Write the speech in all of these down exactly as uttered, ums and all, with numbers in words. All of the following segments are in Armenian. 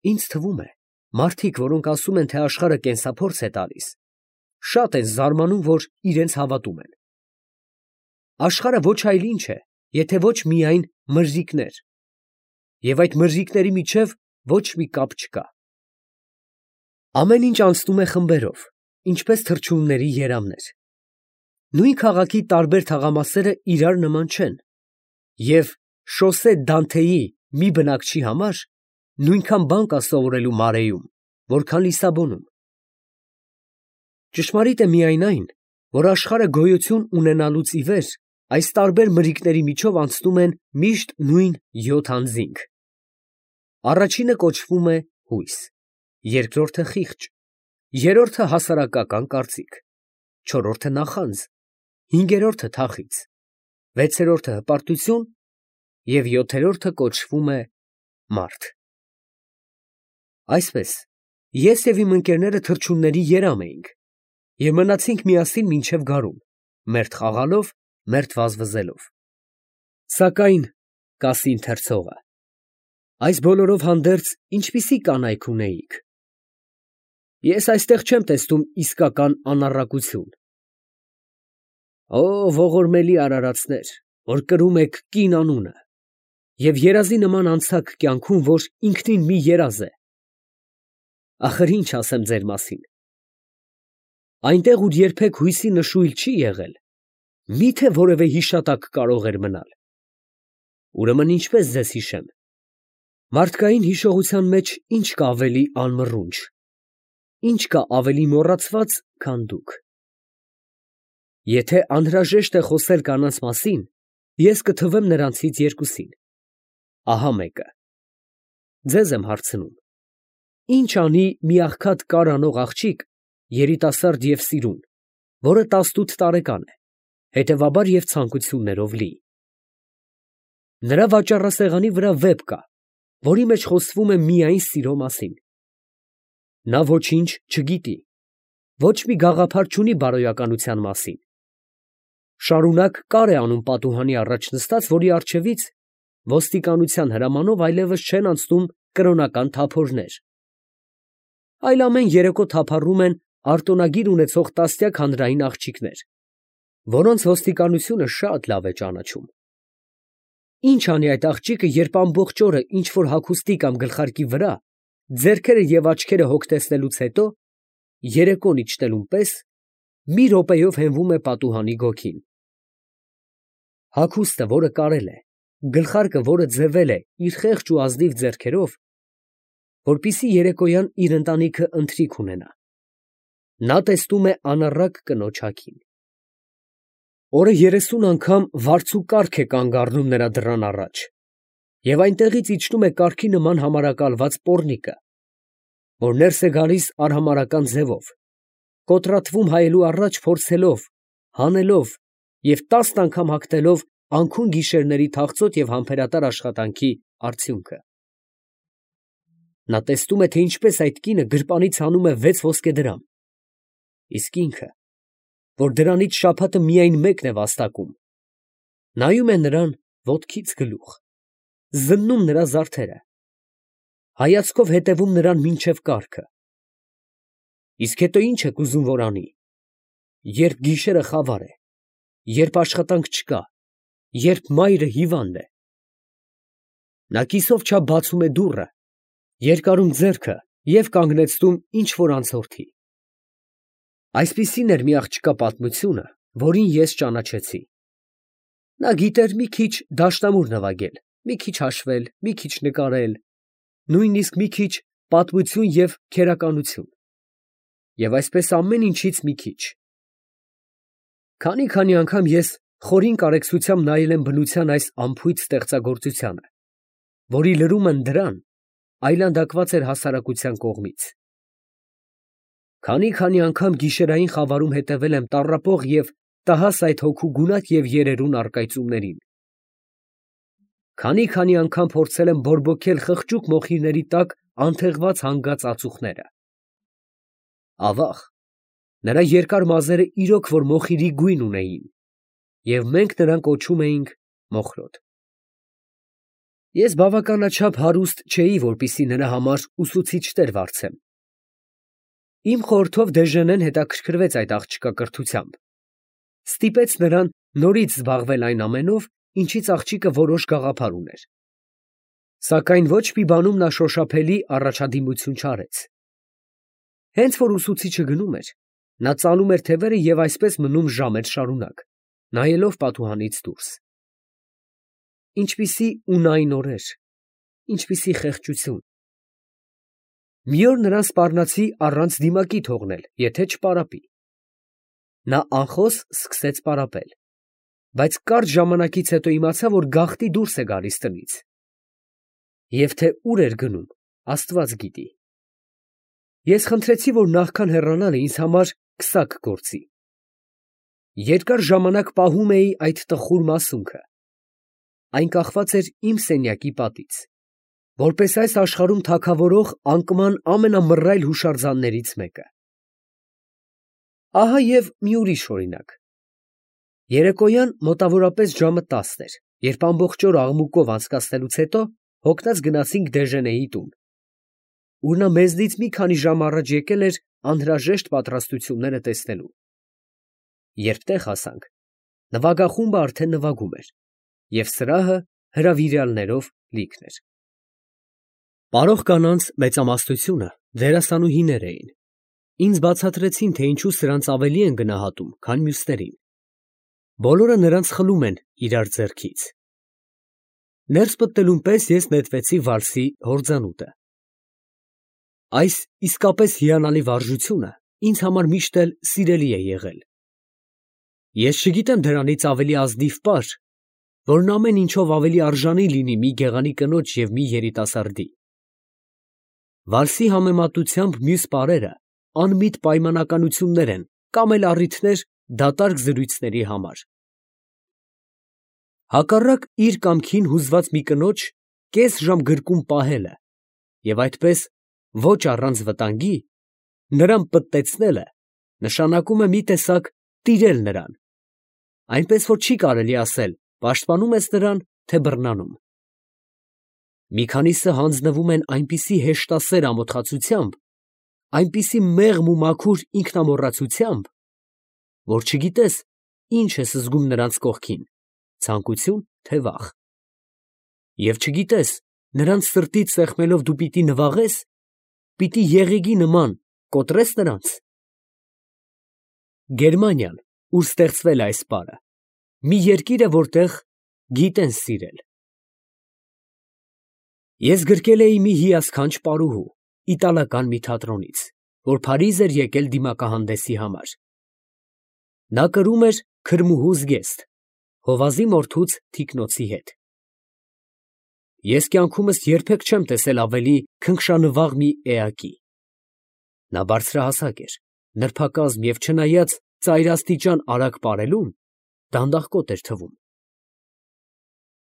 Ինձ թվում է, մարդիկ, որոնք ասում են, թե աշխարհը կենսափորձ է տալիս, շատ են զարմանում, որ իրենց հավատում են։ Աշխարհը ոչ այլ ինչ է, եթե ոչ միայն մրրիկներ, և այդ մրրիկների միջև ոչ մի կապ չկա։ Ամեն ինչ անցնում է խմբերով, ինչպես թռչունների երամներ։ Նույն քաղաքի տարբեր թաղամասերը իրար նման չեն, և Շոսե Դանթեի մի բնակչի համար նույնքան բան կա սովորելու Մարեում, որքան Լիսաբոնում։ Ճշմարիտ է միայն այն, որ աշխարհը գոյություն ունենալուց ի վեր այս տարբեր մրրիկների միջով անցնում են միշտ նույն յոթ անձինք. առաջինը կոչվում է հույս, երկրորդը խիղճ, երրորդը հասարակական կարծիք, չորրորդը նախանձ, հինգերորդը թախիծ, վեցերորդը հպարտություն և յոթերորդը կոչվում է մարդ։ Այսպես, ես և իմ ընկերները թռչունների երամ էինք և մնացինք միասին մինչև գարուն, մերթ խաղալով, մերթ վազվզելով։ Սակայն, կասի ընթերցողը, այս բոլորով հանդերձ ինչպիսի կանայք ունեիք։ Ես այստեղ չեմ տեսնում իսկական անառակություն։ Օ, ողորմելի արարածներ, որ կրում եք կին անունը և երազի նման անցաք կյանքում, որ ինքնին մի երազ է։ Ախր ինչ ասեմ ձեր մասին։ Այնտեղ, ուր երբեք հույսի նշույլ չի եղել, մի՞թե որևէ հիշատակ կարող էր մնալ։ Ուրեմն ինչպես ձեզ հիշեմ։ Մարդկային հիշողության մեջ ինչ կա ավելի անմռունչ, ինչ կա ավելի մոռացված, քան դուք։ Եթե անհրաժեշտ է խոսել կանանց մասին, ես կթվեմ նրանցից երկուսին։ Ահա մեկը։ Ձեզ եմ հարցնում. ի՞նչ անի մի աղքատ կար անող աղջիկ, երիտասարդ և սիրուն, որը տասնութ տարեկան է, հետևաբար և ցանկություններով լի։ Նրա վաճառասեղանի վրա վեպ կա, որի մեջ խոսվում է միայն սիրո մասին։ Նա ոչինչ չգիտի, ոչ մի գաղափար չունի բարոյականության մասին։ Շարունակ կար է անում պատուհանի առաջ նստած, որի առջևից ոստիկանության հրամանով այլևս չեն անցնում կրոնական թափորներ, այլ ամեն երեկո թափառում են արտոնագիր ունեցող տասնյակ հանրային աղջիկներ, որոնց ոստիկանությունը շատ լավ է ճանաչում։ Ի՞նչ անի այդ աղջիկը, երբ ամբողջ օրը ինչ֊որ հագուստի կամ գլխարկի վրա, ձեռքերը և աչքերը հոգ տեսնելուց հետո, երեկոն իջնելուն պես, մի րոպեով հենվում է պատուհանի գոգին։ Հագուստը, որը կարել է, գլխարկը, որը ձևել է իր խեղճ ու ազնիվ ձեռքերով, որպեսզի երեկոյան իր ընտանիքը ընթրիք ունենա, նա տեսնում է անառակ կնոջ հագին։ Օրը երեսուն անգամ վարձուկարգ է կանգ առնում նրա դռան առաջ, և այնտեղից իջնում է կառքի նման համարակալված պոռնիկը, որ ներս է գալիս արհամարհական ձևով, կոտրատվում հայելու առաջ փորձելով, հանելով և տասն անգամ հագնելով անքուն գիշերների թախծոտ և համբերատար աշխատանքի արդյունքը։ Նա տեսնում է, թե ինչպես այդ կինը գրպանից հանում է վեց ոսկեդրամ, իսկ ինքը, որ դրանից շաբաթը միայն մեկն է վաստակում, նայում է նրան ոտքից գլուխ, զննում նրա զարդերը, հայացքով հետևում նրան մինչև կառքը։ Իսկ հետո ի՞նչ եք ուզում, որ անի, երբ գիշերը խավար է, երբ աշխատանք չկա, երբ մայրը հիվանդ է։ Նա կիսով չափ բացում է դուռը, երկարում ձեռքը և կանգնեցնում ինչ֊որ անցորդի։ Այսպիսին էր մի աղջկա պատմությունը, որին ես ճանաչեցի։ Նա գիտեր մի քիչ դաշնամուր նվագել, մի քիչ հաշվել, մի քիչ նկարել, նույնիսկ մի քիչ պատմություն և քերականություն, և այսպես ամեն ինչից մի քիչ։ Քանի֊քանի անգամ ես խորին կարեկցությամբ նայել եմ բնության այս անփույթ ստեղծագործությանը, որի լրումն դրան այլանդակված էր հասարակության կողմից։ Քանի֊քանի անգամ գիշերային խավարում հետևել եմ տառապող և տհաս այդ հոգու գունատ և երերուն առկայծումներին։ Քանի֊քանի անգամ փորձել եմ բորբոքել խղճուկ մոխիրների տակ անթեղված հանգած ածուխները։ Ավաղ, նրա երկար մազերը իրոք որ մոխիրի գույն ունեին, և մենք նրան կոչում էինք Մոխրոտ։ Ես բավականաչափ հարուստ չէի, որպեսզի նրա համար ուսուցիչներ վարձեմ։ Իմ խորհրդով Դեժենեն հետաքրքրվեց այդ աղջկա կրթությամբ, ստիպեց նրան նորից զբաղվել այն ամենով, ինչից աղջիկը որոշ գաղափար ուներ։ Սակայն ոչ մի բանում նա շոշափելի առաջադիմություն չարեց։ Հենց որ ուսուցիչը գնում էր, նա ծալում էր թևերը և այսպես մնում ժամեր շարունակ, նայելով պատուհանից դուրս։ Ինչպիսի ունայն օրեր, ինչպիսի խեղճություն։ Մի օր նրան սպառնացի առանց դիմակի թողնել, եթե չպարապի։ Նա անխոս սկսեց պարապել, բայց կարճ ժամանակից հետո իմացա, որ գաղտնի դուրս է գալիս տնից։ Եվ թե ուր էր գնում, Աստված գիտի։ Ես խնդրեցի, որ նախքան հեռանալը ինձ համար քսակ գործի։ Երկար ժամանակ պահում էի այդ տխուր մասունքը։ Այն կախված էր իմ սենյակի պատից, որպես այս աշխարհում թագավորող անկման ամենամռայլ հուշարձաններից մեկը։ Ահա և մի ուրիշ օրինակ։ Երեկոյան մոտավորապես ժամը տասն էր, երբ ամբողջ օր աղմուկով անցկացնելուց հետո հոգնած գնացինք Դեժենեի տուն, ուր նա մեզնից մի քանի ժամ առաջ եկել էր անհրաժեշտ պատրաստությունները տեսնելու։ Երբ տեղ հասանք, նվագախումբը արդեն նվագում էր, և սրահը հրավիրյալներով լիքն էր։ Պարող կանանց մեծամասնությունը դերասանուհիներ էին։ Ինձ բացատրեցին, թե ինչու սրանց ավելի են գնահատում, քան մյուսներին։ Բոլորը նրանց խլում են իրար ձեռքից։ Ներս մտնելուն պես ես նետվեցի վալսի հորձանուտը։ Այս իսկապես հիանալի վարժությունը ինձ համար միշտ էլ սիրելի է եղել։ Ես չգիտեմ դրանից ավելի ազնիվ պար, որն ամեն ինչով ավելի արժանի լինի մի գեղանի կնոջ և մի երիտասարդի։ Վալսի համեմատությամբ մյուս պարերը անմիտ պայմանականություններ են կամ էլ առիթներ դատարկ զրույցների համար։ Հակառակ իր կամքին հուզված մի կնոջ կես ժամ գրկում պահելը և այդպես ոչ առանց վտանգի նրան պտտեցնելը նշանակում է մի տեսակ տիրել նրան, այնպես որ չի կարելի ասել պաշտպանում ես նրան, թե բռնանում։ Մի քանիսը հանձնվում են այնպիսի հեշտասեր ամոթխացությամբ, այնպիսի մեղմ ու մաքուր ինքնամոռացությամբ, որ չգիտես ինչ ես զգում նրանց կողքին, ցանկություն, թե վախ։ Եվ չգիտես նրանց սրտից սեղմելով դու պիտի նվաղես, պիտի եղեգի նման կոտրես նրանց։ Գերմանիան, ուր ստեղծվել է այս պարը, մի երկիր է, որտեղ գիտեն սիրել։ Ես գրկել էի մի հիասքանչ պարուհու, իտալական մի թատրոնից, որ Փարիզ էր եկել դիմակահանդեսի համար։ Նա կրում էր քրմուհու զգեստ, հովազի մորթուց թիկնոցի հետ։ Ես կյանքումս երբեք չեմ տեսել ավելի քնքշանվաղ մի էակի։ Նա բարձրահասակ էր, նրբակազմ և չնայած ծայրաստիճան արագ պարելուն, դանդաղկոտ էր թվում։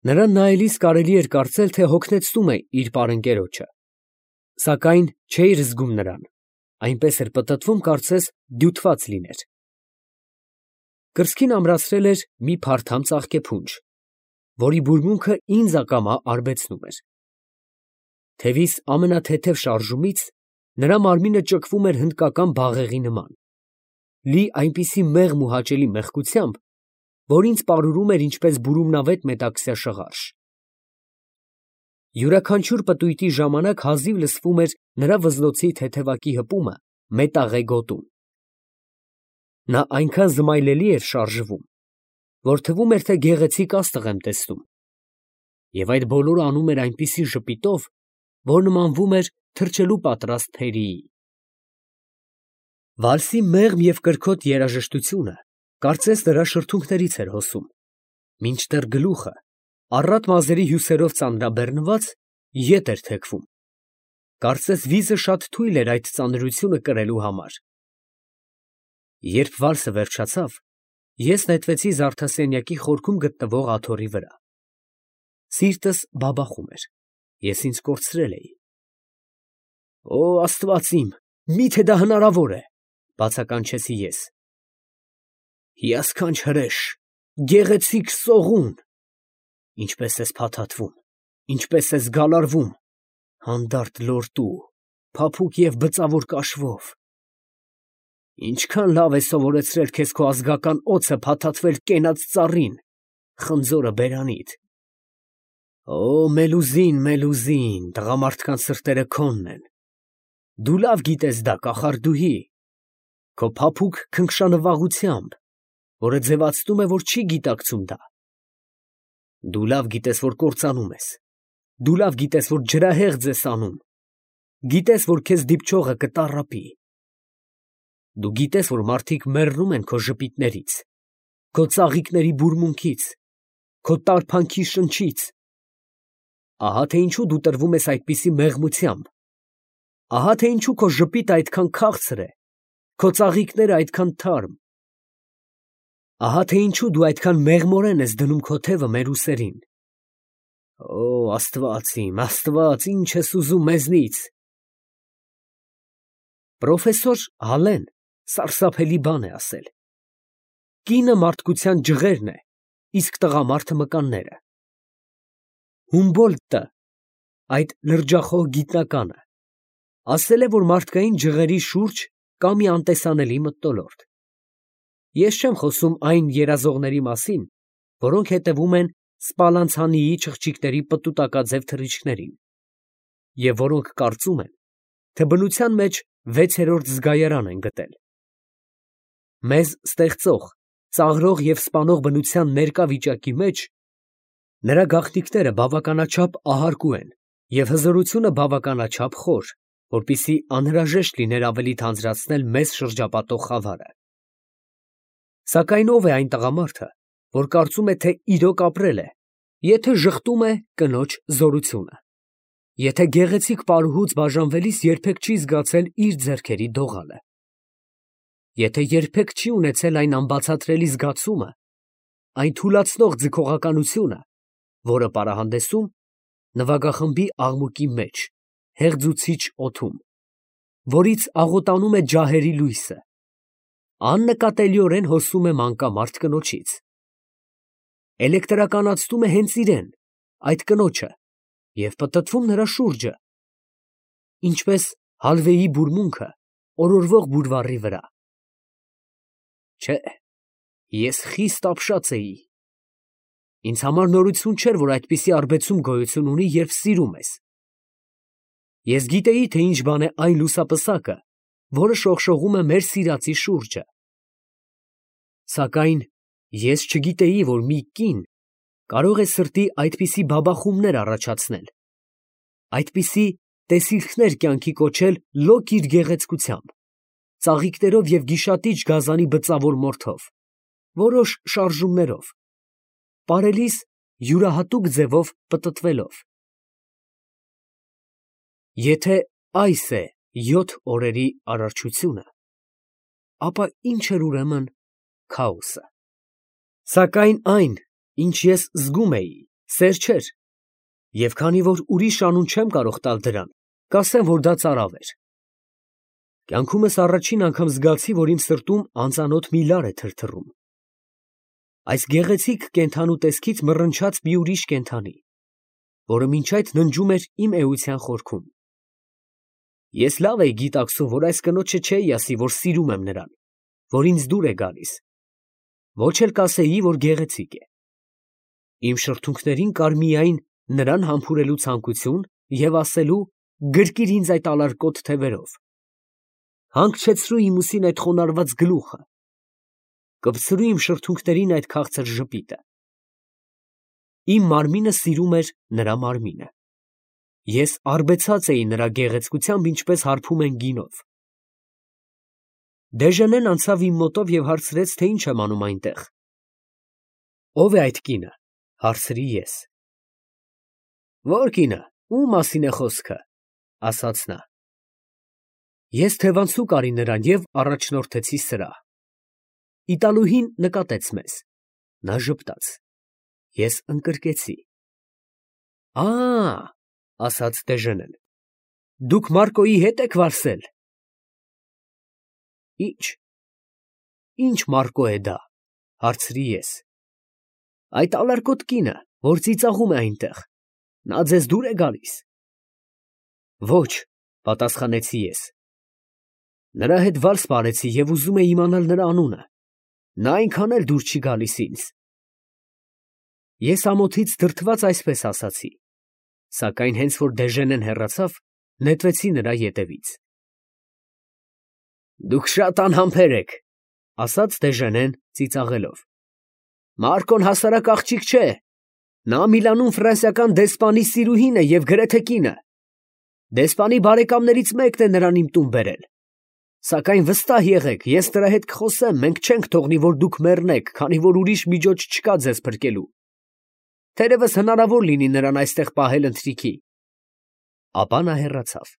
Նրան նայելիս կարելի էր կարծել, թե հոգնեցնում է իր պարընկերոջը, սակայն չէիր զգում նրան, այնպես էր պտտվում, կարծես դյութված լիներ։ Կրծքին ամրացրել էր մի փարթամ ծաղկեփունջ, որի բուրմունքը ինձ ակամա արբեցնում էր։ Թևիս ամենաթեթև շարժումից նրա մարմինը ճկվում էր հնդկական բաղեղի նման, լի այնպիսի մեղմ ու հաճելի մեղքությամբ, որ ինձ պարուրում էր ինչպես բուրումնավետ մետաքսյա շղարշ։ Յուրաքանչյուր պտույտի ժամանակ հազիվ լսվում էր նրա վզնոցի թեթևակի հպումը մետաղե գոտում։ Նա այնքան զմայլելի էր շարժվում, որ թվում էր, թե գեղեցիկ աստղ եմ տեսնում, և այդ բոլորը անում էր այնպիսի ժպիտով, որ նմանվում էր թռչելու պատրաստ թերիի։ Վալսի մեղմ և կրքոտ երաժշտությունը կարծես նրա շրթունքներից էր հոսում, մինչդեռ գլուխը, առատ մազերի հյուսերով ծանրաբեռնված, ետ էր թեքվում, կարծես վիզը շատ թույլ էր այդ ծանրությունը կրելու համար։ Երբ վալսը վերջացավ, ես նետվեցի զարդասենյակի խորքում գտնվող աթոռի վրա։ Սիրտս բաբախում էր, ես ինձ կորցրել էի։ «Օ Աստված իմ, մի՞թե դա հնարավոր է», բացականչեցի ես։ «Հիասքանչ հրեշ, գեղեցիկ սողուն, ինչպես ես փաթաթվում, ինչպես ես գալարվում, հանդարտ լորտու, փափուկ և բծավոր կաշվով. ինչքան լավ է սովորեցրել քեզ քո ազգական օձը փաթաթվել կենաց ծառին, խնձորը բերանիդ. Օ, Մելուզին, Մելուզին, տղամարդկանց սրտերը քոնն են, դու լավ գիտես դա, կախարդուհի, քո փափուկ քնքշանվաղությամբ, որը ձևացնում է, որ չի գիտակցում դա. դու լավ գիտես, որ կործանում ես, դու լավ գիտես, որ ջրահեղձ ես անում, գիտես, որ քեզ դիպչողը կտառապի, դու գիտես, որ մարդիկ մեռնում են քո ժպիտներից, քո ծաղիկների բուրմունքից, քո տարփանքի շնչից, ահա թե ինչու դու տրվում ես այդպիսի մեղմությամբ, ահա թե ինչու քո ժպիտը այդքան քաղցր է, քո ծաղիկները այդքան թարմ, ահա թե ինչու դու այդքան մեղմորեն ես դնում քո թևը մեր ուսերին. Օ, Աստված իմ, Աստված, ինչ ես ուզում մեզնից։ Պրոֆեսոր Հալեն սարսափելի բան է ասել. կինը մարդկության ջղերն է, իսկ տղամարդը մկանները։ Հումբոլդտը, այդ լրջախոհ գիտնականը, ասել է, որ մարդկային ջղերի շուրջ կա մի անտեսանելի մթնոլորտ։ Ես չեմ խոսում այն երազողների մասին, որոնք հետևում են Սպալանցանիի չղջիկների պտուտակաձև թռիչքներին, և որոնք կարծում են, թե բնության մեջ վեցերորդ զգայարան են գտել։ Մեզ ստեղծող, ծաղրող և սպանող բնության ներկա վիճակի մեջ նրա գաղտնիքները բավականաչափ ահարկու են և հզորությունը բավականաչափ խոր, որպեսզի անհրաժեշտ լիներ ավելի թանձրացնել մեզ շրջապատող խավարը։ Սակայն ո՞վ է այն տղամարդը, որ կարծում է, թե իրոք ապրել է, եթե ժխտում է կնոջ զորությունը, եթե գեղեցիկ պարուհուց բաժանվելիս երբեք չի զգացել իր ձեռքերի դողալը, եթե երբեք չի ունեցել այն անբացատրելի զգացումը, այն թուլացնող ձգողականությունը, որը պարահանդեսում նվագախմբի աղմուկի մեջ, հեղձուցիչ օդում, որից աղոտանում է ջահերի լույսը, աննկատելիորեն հոսում է մանկամարդ կնոջից, էլեկտրականացնում է հենց իրեն, այդ կնոջը, և պտտվում նրա շուրջը, ինչպես հալվեի բուրմունքը օրորվող բուրվառի վրա։ Չէ, ես խիստ ապշած էի։ Ինձ համար նորություն չէր, որ այդպիսի արբեցում գոյություն ունի, երբ սիրում ես։ Ես գիտեի, թե ինչ բան է այն լուսապսակը, որը շողշողում է մեր սիրածի շուրջը։ Սակայն ես չգիտեի, որ մի կին կարող է սրտի այդպիսի բաբախումներ առաջացնել, այդպիսի տեսիլքներ կյանքի կոչել լոկ իր գեղեցկությամբ, ծաղիկներով և գիշատիչ գազանի բծավոր մորթով, որոշ շարժումներով, պարելիս յուրահատուկ ձևով պտտվելով։ Եթե այս է յոթ օրերի արարչությունը, ապա ինչ էր ուրեմն քաոսը։ Սակայն այն, ինչ ես զգում էի, սեր չէր, և քանի որ ուրիշ անուն չեմ կարող տալ դրան, կասեմ, որ դա ծարավ էր։ Կյանքումս առաջին անգամ զգացի, որ իմ սրտում անծանոթ մի լար է թրթռում։ Այս գեղեցիկ կենդանու տեսքից մռնչաց մի ուրիշ կենդանի, որը մինչ այդ ննջում էր իմ էության խորքում։ Ես լավ էի գիտակցում, որ այս կնոջը չէի ասի, որ սիրում եմ նրան, որ ինձ դուր է գալիս, ոչ էլ կասեի, որ գեղեցիկ է։ Իմ շրթունքներին կար միայն նրան համբուրելու ցանկություն և ասելու գրկիր ինձ այդ ալարկոտ թևերով, հանգչեցրու իմ ուսին այդ խոնարհված գլուխը, կպցրու իմ շրթունքներին այդ քաղցր ժպիտը։ Իմ մարմինը սիրում էր նրա մարմինը։ Ես արբեցած էի նրա գեղեցկությամբ, ինչպես հարբում են գինով։ Դեժենեն անցավ իմ մոտով և հարցրեց, թե ինչ եմ անում այնտեղ։ Ո՞վ է այդ կինը, հարցրի ես։ Ո՞ր կինը, ում մասին է խոսքը, ասաց նա։ Ես թևանցուկ արի նրան և առաջնորդեցի սրահ։ Իտալուհին նկատեց մեզ, նա ժպտաց, ես ընկրկեցի։ Ա, ասաց Դեժենեն, դուք Մարկոյի հետ եք վարսել։ Ի՞նչ, ի՞նչ Մարկո է դա, հարցրի ես։ Այդ ալարկոտ կինը, որ ծիծաղում է այնտեղ, Նա ձեզ դուր է գալիս։ Ոչ, պատասխանեցի ես։ Նրա հետ վալս պարեցի և ուզում էի իմանալ նրա անունը։ Նա այնքան էլ դուր չի գալիս ինձ։ Ես ամոթից դրդված այսպես ասացի, սակայն հենց որ Դեժենեն հեռացավ, նետվեցի նրա ետևից։ Դուք շատ անհամբեր եք, ֊ ասաց Դեժենեն ծիծաղելով։ Մարկոն հասարակ աղջիկ չէ. նա Միլանում ֆրանսիական դեսպանի սիրուհին է և գրեթե կինը։ Դեսպանի բարեկամներից մեկն է նրան իմ տուն բերել։ Սակայն վստահ եղեք, ես նրա հետ կխոսեմ, մենք չենք թողնի, որ դուք մեռնեք, քանի որ ուրիշ միջոց չկա ձեզ փրկելու։ Թերևս հնարավոր լինի նրան այստեղ պահել ընթրիքի։ Ապա նա հեռացավ։